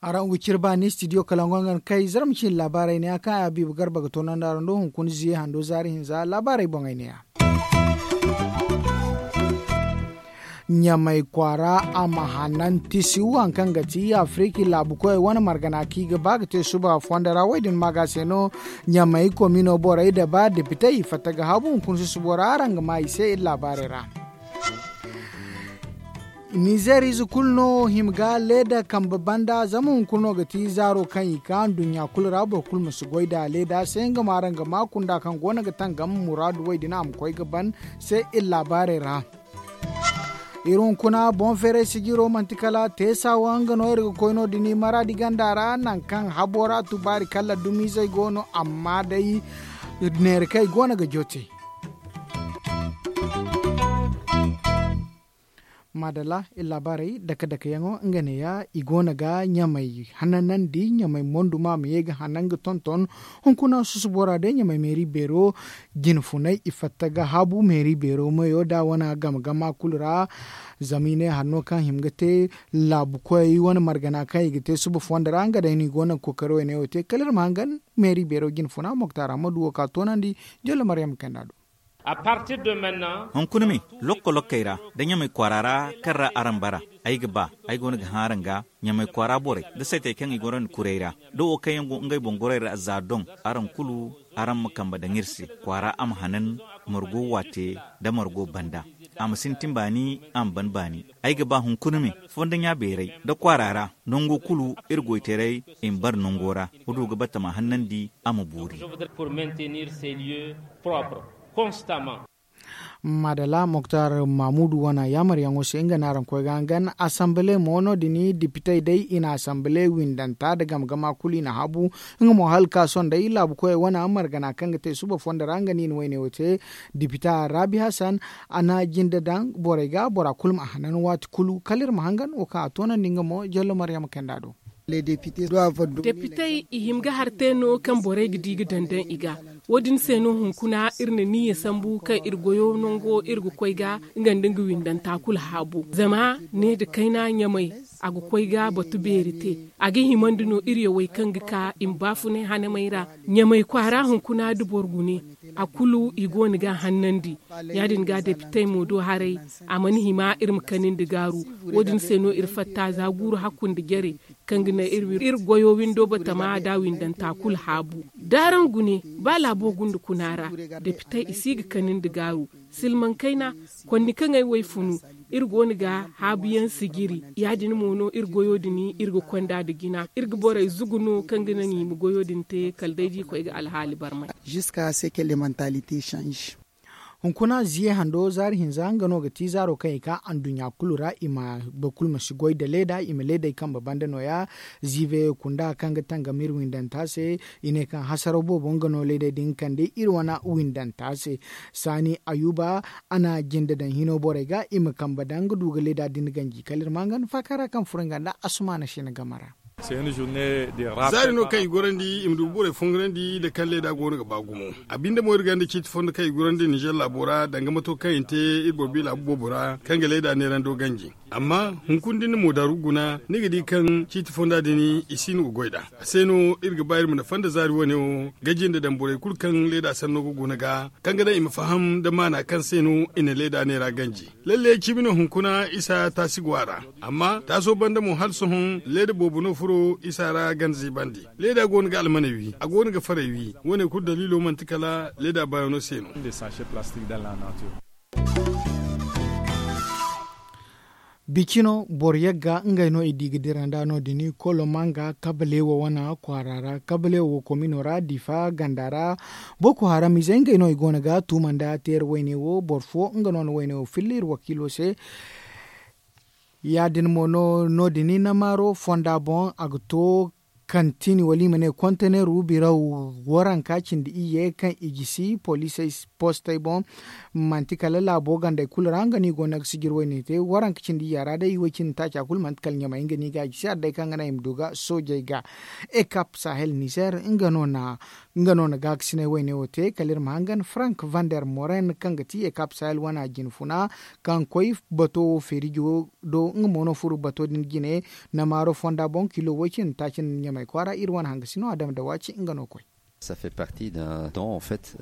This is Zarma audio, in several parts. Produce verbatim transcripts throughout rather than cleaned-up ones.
Araŋ ga ciri ba ni studio kalango nga na kay zarma cine laabaarey ne ya kaŋ a biiba garba ga toonandi araŋ do hunkuna ziye hando zaari hinza laabaarey boŋey ne ya. Ɲamay kwaara a ma hanan tisiw hari kaŋ ga ti afiriki laabu koyey wane margana kaŋ i ga ba ga te suba fondo ra wo- din ma ga se no. Ɲamay komino borey da ba depitey i fatta ga habu hunkuna susubo ra araŋ ga ma i se iri laabaarey ra. Nizeer ize kulu no hima ga leeda kambe banda zama hunkuna no ga ti zaaro kaŋ i ka nduɲɲa kulu ra boro kulu ma si goy nd'a leeda se nga ma araŋ ga ma kunda kaŋ go no ga tangam muraadu wo- din a ma koy ga ban se iri laabaarey ra. Iri hunkuna boŋ feeray sijiro manti kala teesa wo nga no iri ga koy no- din maraadi ganda ra nangu kaŋ habo ra tubaari kala dumizey go no amma day neera kaŋ i go no ga jooti. Maadalla iri laabaarey dake dake yaŋo nga neeya i go no ga ɲamay hananandi ɲamay monduma ma ye ga hanan ga tonton. Hunkuna susubo ra day ɲamay meeri beero jine funay i fatta ga haabu meeri beero mayo da wane game gama kulu ra. Zama i ne hanno kaŋ hima ga te laabu koyey wane margana kaŋ i ga te suba fondo ra nga day no i go no ga kookari wayne wo te kala iri ma hangan meeri beero jine funa moktaara ma du wo ka toonandi. Jollo maryam kayna do. Hunkuna me lokko lokkey ra da ɲamay kwaara ra kaŋ ra araŋ bara ay ga ba ay go no ga hã araŋ ga ɲamay kwaara borey da saytey kaŋ i goro nda kuray ra da wo kaŋ yaŋ go ngey boŋ gorey ra za doŋ. Araŋ kulu araŋ ma kambe daŋ iri se kwaara a ma hanan margo waate nda margo banda. A ma sintin baani a ma ban baani. Ay ga ba hunkuna me fondo ɲa beeray da kwaara ra nango kulu iri goytaray i ma bara nango ra. Wa du ga batama hannandi a ma boori. Maadala moktar mamudu wane yaamaryaŋo se nga no araŋ koy ga hangan asambale mo no- din dipitey day i na asambale windanta nda game gama kulu i na haabu. Nga mo hala ka sohõ day laabu koyey wane margana kaŋ ga te suba fondo ra nga no i na wayne wo te. Dipita raabi hasan a na jinde daŋ borey ga bora kulu ma a hanan waati kulu kala iri ma hangan wo kaŋ a toonandi nga mo jallo maryama kayna do. Depitey i hima ga har te no kaŋ borey ga di ga daŋ daŋ i ga. Wo- din se no hunkuna iri na niyya sambu kaŋ iri goyo nango iri ga koy ga nga nda nga windanta kulu haabu zama ne nda kayna ɲamay a ga koy ga batu beeri te. A ga himandi no iri yawey kaŋ ga ka i ma baafunay hanamey ra. Ɲamay kwaara hunkuna nda boro gune a kulu i go no ga a hannandi. Ya- din ga depitey mo do haray a mana hima iri ma kanandi gaaru. Wo- din se no iri fatta za guuru hakku nda jare kaŋ ga naŋ iri goyo windo batama da windanta kulu haabu. Da araŋ gune ba laabo gunda kuna ra depitey i si ga kanandi gaaru. Silmaŋ kayna konni kaŋ ay wo ay funu iri go no ga haabuyaŋ sijiri. Ya- din mo no iri goyo din iri ga konda nda jina iri ga borey zugu no kaŋ ga naŋ i ma goyo din te kala day da i koy ga alhaali barmay. Hunkuna ziye hando zaari hinza nga no ga ti zaaro kaŋ i ka anduɲɲa kulu ra i ma boro kulu ma si goy nda leeda i ma leedey kambe banda nooya. Ziive kunda kaŋ ga tangam iri windanta se i ne kaŋ hasaraw boobo nga no leedey din kande iri wane windanta se. Saani ayuba a na jinde daŋ hino borey ga i ma kambe daŋ ga du ga leeda din ganji kala iri ma hangan faaka ra kaŋ furo nga nda asumaana sina game ra. Zaari no kaŋ i gorandi i ma du borey fongarandi nda kaŋ leeda go no ga ba gumo. A binde mo iri gonda ciiti fondo kaŋ i gorandi nizer laabo ra danga mato kaŋ i na te iri boro bi laabu boobo ra kaŋ ga leeda neerando ganji. Amma hunkuna da ni na moodaru guna ni ga di kaŋ ciiti fonda din i si no ga goy nd'a. A se no iri ga ba iri ma na fonda zaari wane wo ga jinde daŋ borey kulu kaŋ leeda sanno ga guna ga kaŋ ga daŋ i ma faham nda maana kaŋ se no i na leeda neera ganji. Lalle cimi no hunkuna isa taasi go a ra. Amma taaso banda mo hala sohõ leeda boobo no furo isa ra gana ziibandi. Leeda go no ga almaney wi a go no ga farey wi. Wo- ne kulu daliilo manti kala leeda baayaŋo se no. Bicino boro yagga ngey no i di ga dira nd'a no- din kolomanga kabaleewo wane kwaara ra kabaleewo komino ra diifa ganda ra. Boko haram izey ngey no i go no ga tuuma nda teera wayne wo boro fo nga no na wayne wo filla iri wakiilo se. Ya- din mo no- din na maaro fonda boŋ a ga to. Kantini wala i ma ne konteneru biraw waranka cindi iyye kaŋ i gisi poliisey postey boŋ. Manti kala laabo gandey kulu ra nga no i go no ga sijir wayne te waranka cindi iyya ra day i way cindi taaca kulu manti kala ɲamay nga no i ga a gisi hari day kaŋ ga naŋ i ma du ga soojey ga. Ekap sahel nizer nga no na gaakasinay wayne wo te kala iri ma hangan frank vander moren kaŋ ga ti ekap sahel wana jinfuna kaŋ koy bato wo feerijo do nga mo no furo bato din jine. Namaaro fonda boŋ kilo way cindi taaci nda ɲamay kwaara iri wane hangasino adama dawaci nga no koy.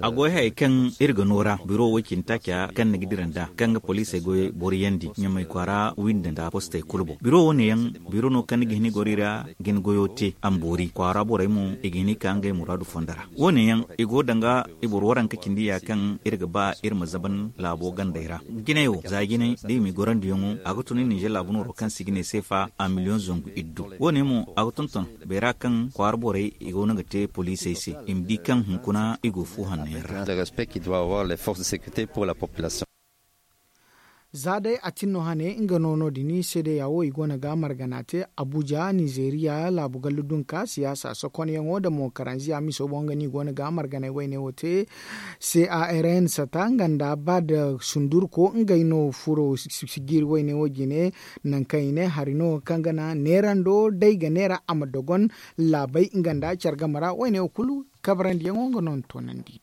A goy hayey kaŋ iri ga no ra biro wo cindi taaca kaŋ ni ga dira nd'a kaŋ ga poliisey goyey boro yandi ɲamay kwaara windi nda postey kulu boŋ biro wo- ne yaŋ biro no kaŋ ni ga hin i goro i ra ga ni goyo te a ma boori kwaara borey mo i ga hin i ka ngey muraadu fondo ra. Wo- ne yaŋ i go danga i boro waranka cindi ya kaŋ iri ga ba iri ma zaban laabo gandey ra. Jinay wo za jinay da i m'i gorandiyaŋo a ga tun i ninzeer laabu nooro kaŋ se i ga ne seefa a miliyoŋ zangu iddu. Wo- ne mo a ga tonton beera kaŋ kwaara borey i go no ga te poliisey se i ma di kaŋ hunkuna i go fu hanno yaŋ ra. Za day a tin no hane nga no no- din seedeya wo i go no ga margana te abuja nizeeriya laabu gallu dunka siyaasa sokonyaŋo nda mo karanziya miso boŋ nga no i go no ga marganay wayne wo te. Carn sata nga nda ba nda sundurko ngey no furo sijiri wayne wo jine. Nangu kaŋ i ne hari no kaŋ ga naŋ neerando day ga neera a ma dogon laabey nga nda care game ra wayne wo kulu kabarandiyaŋo nga no ni toonandi.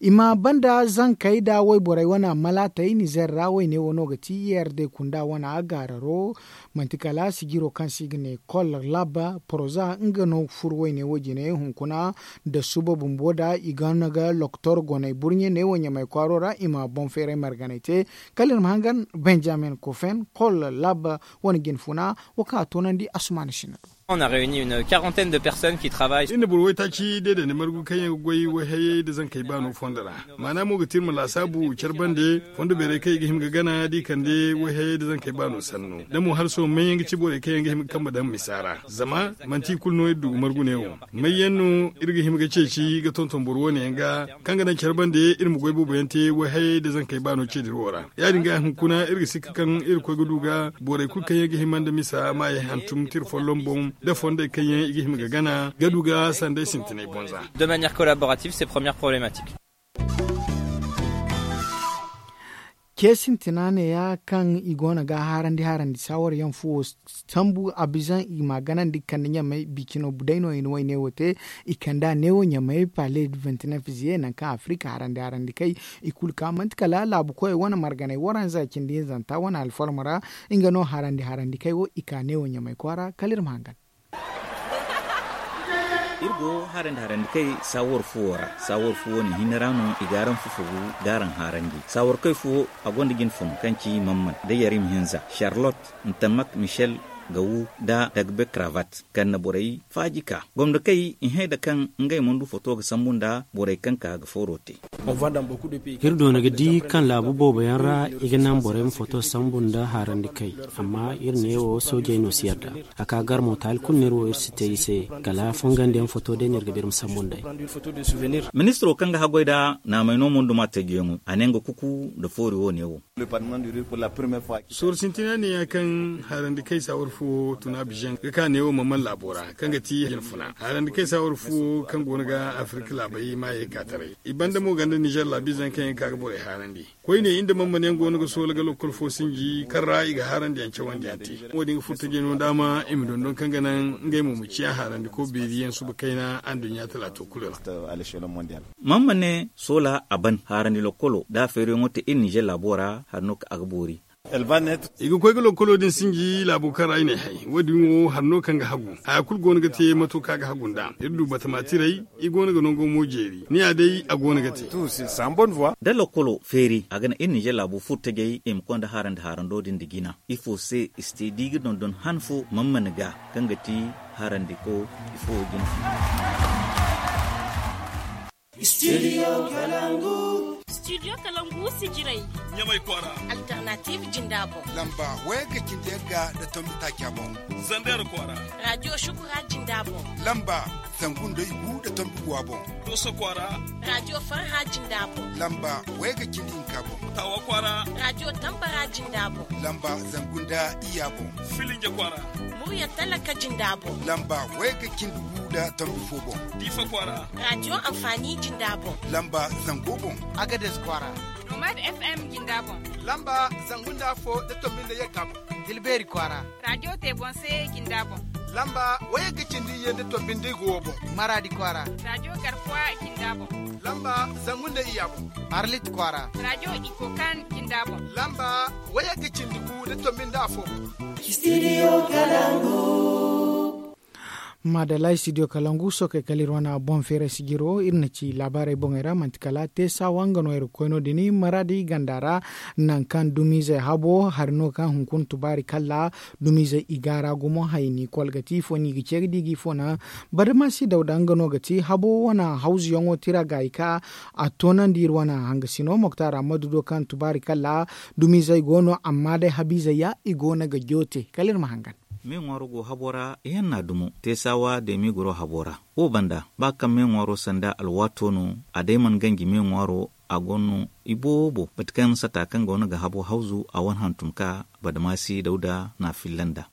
I ma banda zankey nda wayborey wane malaatey nizer ra wayne wo no ga ti i r d kunda wane gaararo. Manti kala sijiro kaŋ se i ga ne kol lab poroza nga no ga furo wayne wo jine hunkuna nda suba bumbo nda i gonda ga loktor goney burɲe neewo ɲamay kwaaro ra i ma boŋ feeray marganay te. Kala iri ma hangan benjamin kofen kol lab wane jinfuna wo kaŋ a toonandi asumaana sinna do. Iri na boro waytaaci deedandi margu kaŋ yaŋ ga goy wayhayey nda zankey baano fondo ra. Maana mo ga ti iri ma laasaabu care bande fondo beerey kaŋ i ga hima ga gana da i kande wayhayey nda zankey baano sanno da mo hala sohõ may yaŋ ga ci borey kaŋ yaŋ ga hima ga kambe daŋ misa ra zama manti i kulu no iri du ga margu neewo. May yaŋ no iri ga hima ga ceeci ga tonton boro wo- ne yaŋ ga kaŋ ga naŋ care bande iri ma goy boobo yaŋ te wayhayey nda zankey baano ceediro ra. Ya- din ga hunkuna iri ga sikka kaŋ iri koy ga du ga borey kulu kaŋ yaŋ ga hima nda misa maayey hantum tira folloŋ boŋ nda fondey kaŋ yaŋ i ga hima ga gana ga du ga sanday sintinay boŋ za. De manière collaborative ces premières problématiques. Ce sintina neeya kaŋ i go no ga harandi harandi saawar yaŋ fuwo sambu a bizaŋ i ma ganandi kande ɲamey bicino day no i na wayne wo te. I kand'a neewo ɲamey pale vintinef ziye nangu kaŋ afirika harandi harandi kay i kulu ka manti kala laabu koyey wane marganey waranza cindi hinzanta wane alfalma ra. Nga no harandi harandi kay wo i ka neewo ɲamey kwaara kala iri ma hangan. Iri go harandi harandi kay saawar fuwo ra saawar fuwo ne hinne ra no i ga araŋ fufugu ga araŋ harandi saawar kay fuwo a gonda jinfun kaŋ ci mamman da yarim hinza charlotte ntamak michel gawu da dagbe kravat kaŋ na borey faaji ka gomdo kay i hãy da kaŋ ngey mana du foto ga sambu nda borey kaŋ ka ga fooro te. Iri doona ga di kaŋ laabu boobo yaŋ ra i ga naŋ borey ma foto sambu nda haarandi kay. Amma iri neewo soojey no si yarda a ka gar mo taali kulu no iri wo iri si te i se. Kala fongandiyaŋ foto day no iri ga ba iri ma sambu nd'ey. Ministiro kaŋ ga haggoy nda naamay no munduma teejiyaŋo a ne nga kuku nda foori wo-ne wo. Sooru sintina ne ya kaŋ haarandi kay saawar fo tun abizaŋ ga ka neewo mana mana laabo ra kaŋ ga ti jinfuna haarandi kay saawar fo kaŋ go no ga afirka laabey maayey ka taray. I banda mo ganda nizer laabizaŋ kaŋ yaŋ ga ka ga borey haarandi koyne iri nda mana mana yaŋ go no ga soola ga lokkol fo sinji kaŋ ra i ga haarandi yaŋ cawandi yaŋ te. Wo- din ga furta jino daama i ma dondon kaŋ ga naŋ ngey mo ma ciya haarandi ko beeri yaŋ suba kayna anduɲɲa talaato kulu ra. Mana mana ne soola a ban haarandi lokkolo da feeriyaŋo te iri nizer laabo ra hari no kaŋ a ga boori. I ga koy ga lokkolo din sinji laabo kaŋ ra i n'ay hay wo- din wo hari no kaŋ ga hagu haya kulu go no ga te mato kaŋ a ga hagu nd'a iri du batama tiray. I go no ga nango mo jeeri ni ya day a go no ga te. Da lokkolo feeri a ga naŋ iri nizer laabo furo tajay i ma koy nda haarandi haarando din nda jina ifo se i si te da i ga dondon han fo mana mana ga kaŋ ga ti haarandi ko ifo jina fo. Studio kalangu. Studio kalangu sijirey. Ɲamay kwaara. Alternative jinda boŋ. Lamba wayagga cindi yagga nda tombi taaca boŋ. Zander kwaara. Radio shukura jinda boŋ. Lamba. Zangu nda igu nda tombi guwa boŋ. Dooso kwaara. Raadiyo farha jinda boŋ. Lamba wayga cindi hinka boŋ. Taawa kwaara. Raadiyo tambara jinda boŋ. Lamba zangu nda iyya boŋ. Filinja kwaara. Murya talaka jinda boŋ. Lamba wayga cindi gu nda tombi fo boŋ. Diifa kwaara. Raadiyo anfaani jinda boŋ. Lamba zango boŋ. Agades kwaara. Nomad fm jinda boŋ. Lamba zangu nda afo nda tombi nda yagga boŋ. Tilbeeri kwaara. Raadiyo teebonse jinda boŋ. Lamba wayagga cindi iyye nda tombi nda igu wo boŋ. Maraadi kwaara. Raadiyo garkuwa jinda boŋ. Lamba zangu nda iyya boŋ. Arlit kwaara. Raadiyo ikokan jinda boŋ. Lamba wayagga cindi gu nda tombi nda afo boŋ. Studio kalangu. Maadalla studio kalangu sookey kala iri wane boŋ feeray sijiro iri na ci laabaarey boŋey ra manti kala teesawa nga no iri ga koy no- din maraadi ganda ra. Nangu kaŋ dumiizey habo hari no kaŋ hunkuna tubaari kala dumiizey i gaara gumo hayni kol ga ti ifo no i ga ce ga di ga ifo naŋ. Badamasi dawda nga no ga ti habo wane hawzuyaŋo tira gaayi ka a toonandi iri wane hangasino moktaara madu do kaŋ tubaari kala dumiizey go no amma day habiizey ya i go no ga joote kala iri ma hangan. Me ŋwaaro go habo ra ihanna dumo teesawa deemi goro habo ra. Wo banda ba kaŋ me ŋwaaro sanda alwaato no a day mana ganji me ŋwaaro a go no iboobo bate kaŋ sata kaŋ go no ga habo hawzu a wane hantum ka badamaasi dawda na a filla nda.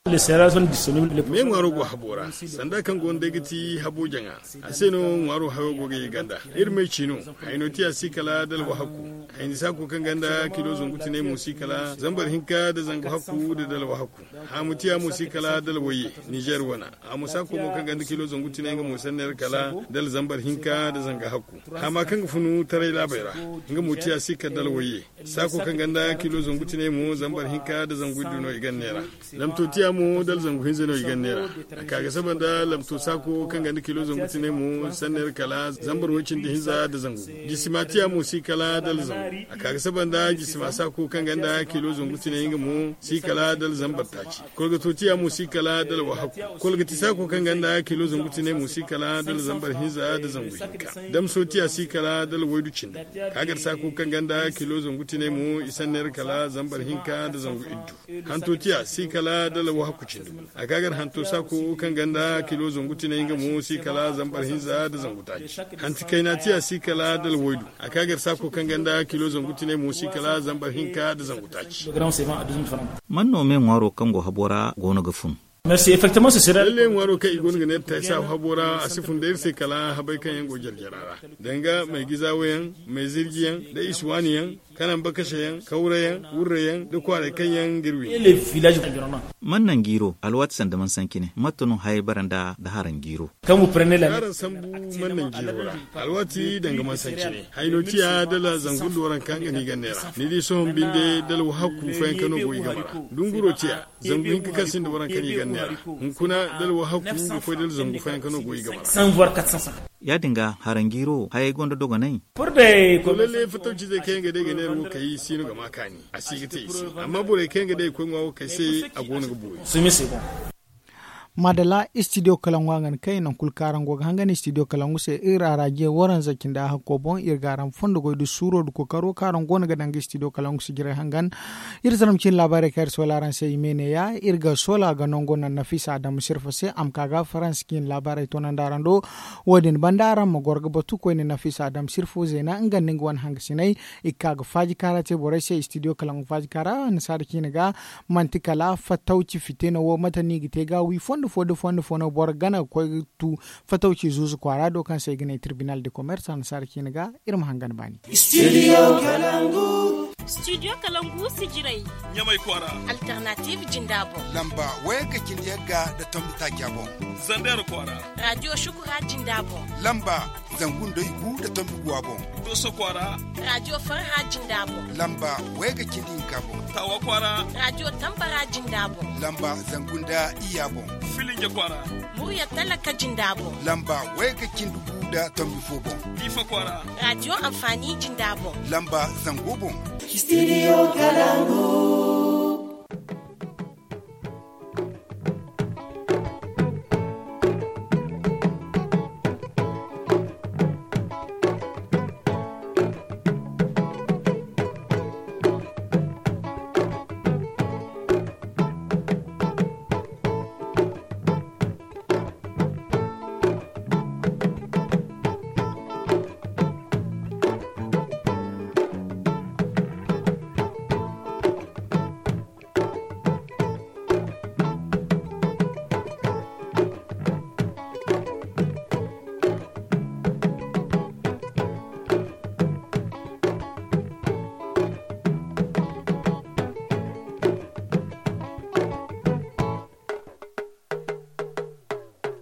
Me ŋwaaro go habo ra sanda kaŋ go no day ga ti habo jaŋa. A se no ŋwaaro hayo go ga ye ganda. Iri may ci no. Hayno tiya si kala dalwa hakku. Hayni saako kaŋ ganda kilo zangu tinay mo si kala zambar hinka nda zangu hakku nda dalwa hakku. Haamu tiya mo si kala dala wayye. Nizer wana. Haamu saako mo kaŋ ganda kilo zangu tinay nga mo sanner kala dala zambar hinka nda zanga hakku. Haama kaŋ ga funu taray laabey ra. Nga mo tiya si kala dala wayye. Saako kaŋ ganda kilo zangu tinay mo zambar hinka nda zangu iddu no i ganne ra. Lamto tiya mo dala zangu hinza no i ganne ra. A ka ga saba nda lamto saako kaŋ ganda kilo zangu tinay mo sanner kala zambar wancin da hinza nda zangu. Jisima tiya mo si kala dala zangu. A ka ga saba nda jisima saako kaŋ ganda kilo zangu tinay nga mo si kala dala zambar taaci. Kolgato tiya mo si kala dala wahakku. Kolgati saako kaŋ ganda kilo zangu tinay mo si kala dala zambar hinza nda zangu hinka. Damso tiya si kala dala waydu cindi. Kagar saako kaŋ ganda kilo zangu tinay mo i sanner kala zambar hinka nda zangu iddu. Hanto tiya si kala dala wahakku cindi. A kagar hanto saako kaŋ ganda kilo zangu tinay nga mo si kala zambar hinza nda zangu taaci. Hanti kayna tiya si kala dala waydu. A kagar saako kaŋ ganda kilo zangu tinay mo si kala zambar hinka nda zangu taaci. Man no me ŋwaaro kaŋ go habo ra go no ga fun? Lalle ŋwaaro kaŋ i go no ga ne taysa habo ra a si fun da iri se kala habay kaŋ yaŋ go jarjara ra. Danga may gizawo yaŋ, may zirji yaŋ da isuwaani yaŋ, kanan bakase yaŋ, kawra yaŋ, wurre yaŋ da kwaaray kaŋ yaŋ ga iri wi. Man naŋ jiiro alwaati sanda man sanci ne matta no hayay bara nda da haraŋ jiiro? Haraŋ sambu man naŋ jiiro ra. Alwaati danga man sanci ne hayno tiya dala zangu nda waranka nga no i ganne ra. Ni di sohõ binde dala wahakku fayanka no go i game ra. Dunguro tiya zangu hinka kaŋ sinda waranka no i ganne ra. Hunkuna dala wahakku ga koy dala zangu fayanka no go i game ra. Ya- din ga haraŋ jiiro hayay gonda dogonay? Lalle fatawcizey kaŋ yaŋ ga day ga ne iri wo kay si no ga ma kaani. A si ga te i se. Amma borey kaŋ yaŋ ga day ga koy ŋwa wo kay se a go no ga boori. Madala studio kala ŋwa ga ni kay naŋ kulu kaŋ araŋ go ga hangan studio kala ŋwa se iri araje waranza cinda hakko boŋ iri ga araŋ fondo goy da suuro da kokaro kaŋ araŋ go no ga daŋ ga studio kala ŋwa se jiray hangan. Iri zaram cine laabaarey kaŋ iri soola araŋ se i me ne ya iri ga soola ga nango naŋ nafisa adamu sirfa se a ma ka ga faransa cine laabaarey toonandi araŋ do. Wo- din banda araŋ ma goro ga batu koyne nafisa adamu sirfa zeena nga nda nga wane hangasiney i ga ka ga faaji kaara te borey se studio kala ŋwa faaji kaara annasaara cine ga. Manti kala fatawci fite no wo mate no i ga te ga wi fondo fo da fondo fo no boro gana ga koy ga tu fatawci zuuzu kwaara do kaŋ se i ga ne tribunal de commerce annasaara cine ga. Iri ma hangan baani. Studio kalangu. Studio kalangu sijirey. Ɲamay kwaara. Alternative jinda boŋ. Lamba wayagga cindi yagga da tombi taaca boŋ. Zander kwaara. Radio shukura jinda boŋ. Lamba zangu nda igu da tombi guwa boŋ. Doso kwaara. Radio farha jinda boŋ. Lamba wayagga cindi hinka boŋ. Tawa kwaara. Radio tambara jinda boŋ. Lamba zangu nda iyya boŋ. Filinja kwaara. Murya talaka jinda boŋ. Lamba wayagga cindi gu da tombi fo boŋ. Diifa kwaara. Radio anfaani jinda boŋ. Lamba zango boŋ. Studio kalangu.